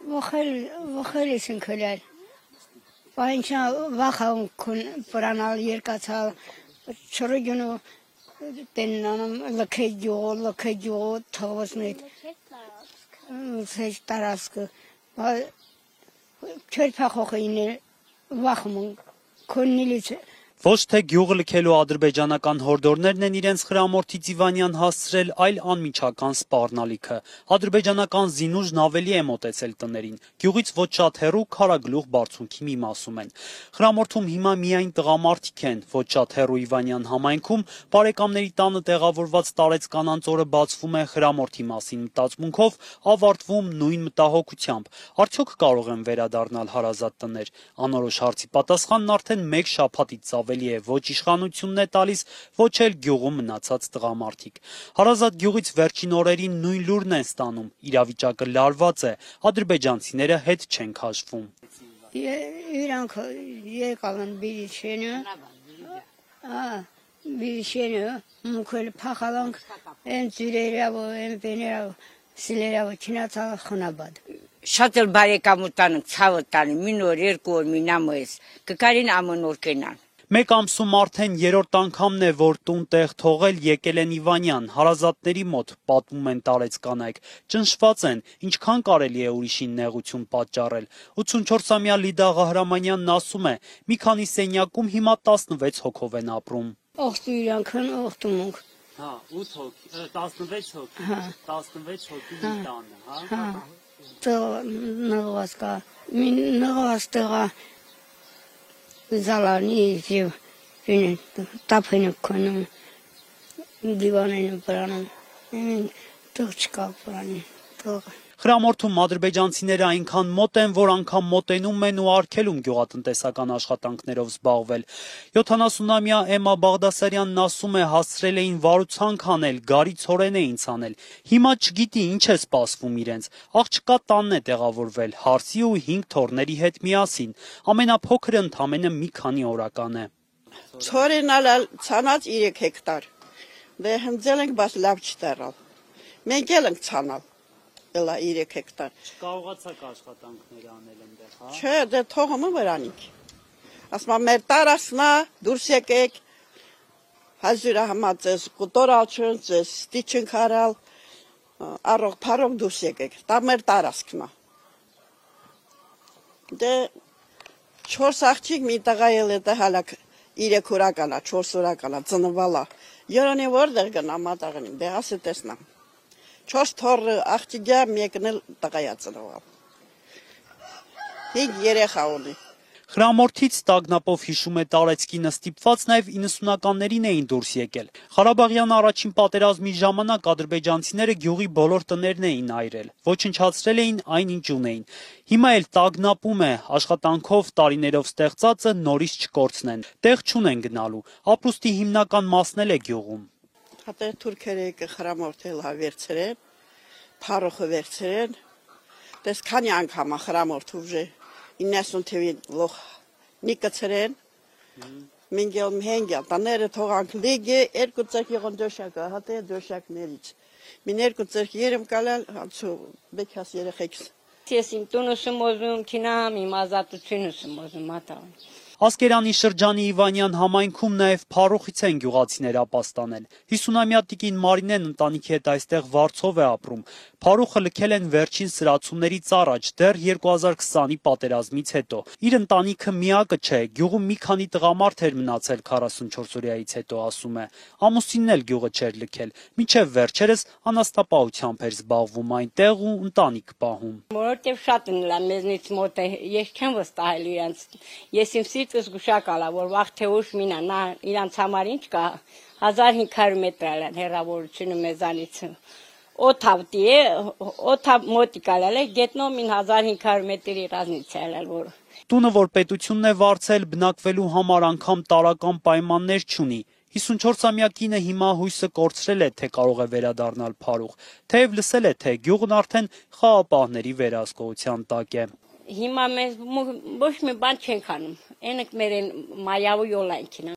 Վխել եսին քլել։ Պայնչա վախան պրանալ երկացալ չրգյունու տեննանում լքեջյո թողոսնետ սեջ տարասկը չերփախոխին վախմուն քոննիլից Ոչ թե գյուղը լքելու ադրբեջանական հորդորներն են իրենց խրամորդի Իվանյան հասցրել, այլ անմիջական սպառնալիքը։ Ադրբեջանական զինուժն ավելի է մոտեցել տներին։ Գյուղից ոչ շատ հեռու Քարագլուխ բարձունքի մի մասում են։ Խրամորդում հիմա միայն տղամարդիկ են, ոչ շատ հեռու Իվանյան համայնքում բարեկամների տանը տեղավորված տարեց կանանց օրը բացվում է խրամորդի մասին մտածմունքով, ավարտվում նույն մտահոգությամբ։ Արդյոք կարող են վերադառնալ հարազատ տներ։ Անորոշ հարցի պատասխանն արդեն մեկ շաբաթից ավելի է ոչ իշխանությունն է տալիս, ոչ էլ գյուղում մնացած տղամարդիկ։ Հարազատ գյուղից վերջին օրերին նույն լուրն են ստանում, իրավիճակը լարված է, ադրբեջանցիները հետ չեն քաշվում։ Իրանք եկալ են բիլիշենը, մուքել փախալանք, են ծյուրերավ, են բեներավ, սիլերավ, չինացալ խնաբադ։ Շատ էլ բարեկամ ուտանք, ցավը տանի, մին օր, երկու օր, մին ամոյս, կկարին ամեն օր կենան։ Մեկ ամսում արդեն երրորդ անգամն է, որ տուն տեղ թողել եկել են Իվանյան, հարազատների մոտ, պատմում են տարեց կանայք, ճնշված են, ինչքան կարելի է ուրիշին նեղություն պատճառել։ 84-ամյա Լիդա Ղահրամանյանն ասում է, մի քանի սենյակում հիմա 16 հոգով են ապրում։ Ողջույն իրանքն ողջունք։ Հա, 8 հոգի, 16 հոգի, 16 հոգի մի տանը, հա։ Նղված կա, մին նղված տղա Զալանի եւ տափեն կոնում դիվանեն պրանում տող չկա պրանի Խրամորդում ադրբեջանցիները այնքան մոտ են, որ անգամ մոտենում են ու արգելում գյուղատնտեսական աշխատանքներով զբաղվել։ 70-ամյա Էմա Բաղդասարյանն ասում է, հասցրել էին վարուցանք անել, գարի ցորեն էին ցանել։ Հիմա չգիտի ինչ է սպասվում իրենց։ Աղջկա տանն է տեղավորվել, հարսի ու 5 թոռների հետ միասին։ Ամենափոքրը ընդամենը մի քանի օրական է։ Ցորենալ ցանած 3 հեկտար։ Դե հնձել ենք, բայց լավ չտարալ։ Մենք էլ ենք ցանալ։ 3 հեկտար։ Չկարողացաք աշխատանքներ անել այնտեղ, հա։ Չէ, դե թողումը վրանիք։ Ասма մեր տարածնա դուրս եկեք։ Հազուրա համացես կոտորաչուն, ձես ստիչն քարալ, առող փարող դուրս եկեք։ Դա մեր տարածքն է։ Դե 4 աղջիկ մի տղա էլ է դա հալակ 3 օրական է, 4 օրական է, ծնվալա։ Երանի որտեղ գնա մատաղին, դե ասի տեսնամ։ 4 թոր աղջիկա մեկն էլ տղայա ծնվել։ 5 երեխա ունի։ Խրամորդից տագնապով հիշում է տարեցկինը ստիպված նաև 90-ականներին էին դուրս եկել։ Ղարաբաղյան առաջին պատերազմի ժամանակ ադրբեջանցիները գյուղի բոլոր տներն էին այրել, ոչնչացրել էին այն ինչ ունեին։ Հիմա էլ տագնապում է, աշխատանքով տարիներով ստեղծածը նորից չկորցնեն, տեղ չունեն գնալու, ապրուստի հիմնական մասն էլ է գյուղում։ Հատե թուրքերը խրամորդել հա վերցրեն, փարոխը վերցրեն, դες քանի անգամ խրամորդ ուժը 90 թվին լոխ նիկացրեն, մինգել մհենգյա, տաները թողանք լիգը, 2 ծեք եղան դոշակը, հատե դոշակներից, մին 2 ծեք երեմ կալալ, հացու բեքաս երեխեքս։ Ես իմ տունս եմ ոզում, քինամ, իմ ազատությունս եմ ոզում, մատաղին։ Ասկերանի շրջանի Իվանյան համայնքում նաև փարոխից են գյուղացիներ ապաստանել։ 50-ամյա տիկին Մարինեն ընտանիքի հետ այստեղ վարձով է ապրում։ Փարոխը լքել են վերջին սրացումներից առաջ, դեռ 2020-ի պատերազմից հետո։ Իր ընտանիքը միակը չէ, գյուղում մի քանի տղամարդ էր մնացել 44-օրյայից հետո, ասում է։ Ամուսինն էլ գյուղը չէր լքել, մինչև վերջերս անաստապահությամբ էր զբաղվում այնտեղ ու ընտանիք պահում։ Որովհետև շատ են լա մեզնից մոտ է, ես չեմ վստահել իրանց։ Ես իմ սիրտս գուշակալա, որ վաղ թե ուշ մինա, նա իրանց համար ինչ կա, 1500 մետր է հեռավորությունը մեզանից։ Օթավտի է, օթավ մոտիկալ է, գետնով մին 1500 մետրի ռազմից է որ։ Տունը, որ պետությունն է վարձել, բնակվելու համար անգամ տարական պայմաններ չունի։ 54-ամյա կինը հիմա հույսը կորցրել է, թե կարող է վերադառնալ փարուխ, թեև լսել է, թե գյուղն արդեն խաղապահների վերահսկողության տակ է։ Հիմա մեզ ոչ մի բան չենք անում, ենք մեր են մայավու յոլանքին